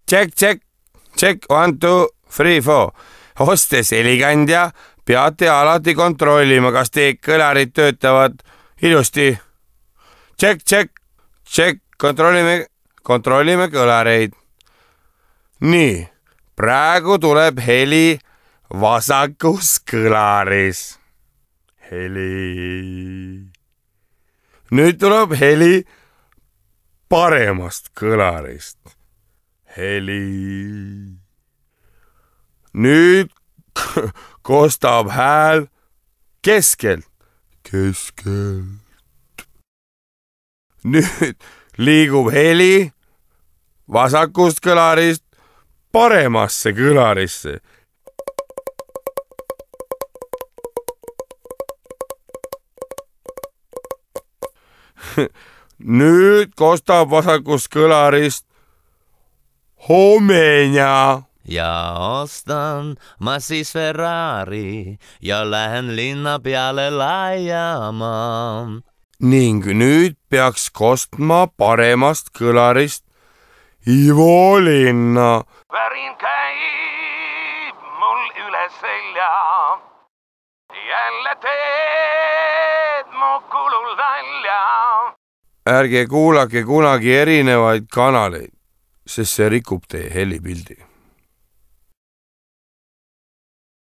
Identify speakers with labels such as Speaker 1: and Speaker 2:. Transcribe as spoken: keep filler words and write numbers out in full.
Speaker 1: Check, check, check, one, two, three, four. Hostes helikandja, peate alati kontrollima, kas teie kõlarid töötavad ilusti. Check, check, check, kontrollime, kontrollime kõlareid. Nii, praegu tuleb heli vasakus kõlaris. Heli. Nüüd tuleb heli paremast kõlarist. Heli. Nüüd kostab hääl keskelt. Keskelt. Nüüd liigub heli vasakust kõlarist paremasse kõlarisse. Nüüd kostab vasakust kõlarist homenja.
Speaker 2: Ja ostan ma siis Ferrari ja lähen linna peale laiama.
Speaker 1: Ning nüüd peaks kostma paremast kõlarist Ivo linna.
Speaker 3: Värin käib mul üle selja. Jälle teed mu kulul välja.
Speaker 1: Ärge kuulake kunagi erinevaid kanaleid, sest see rikub teie helipildi.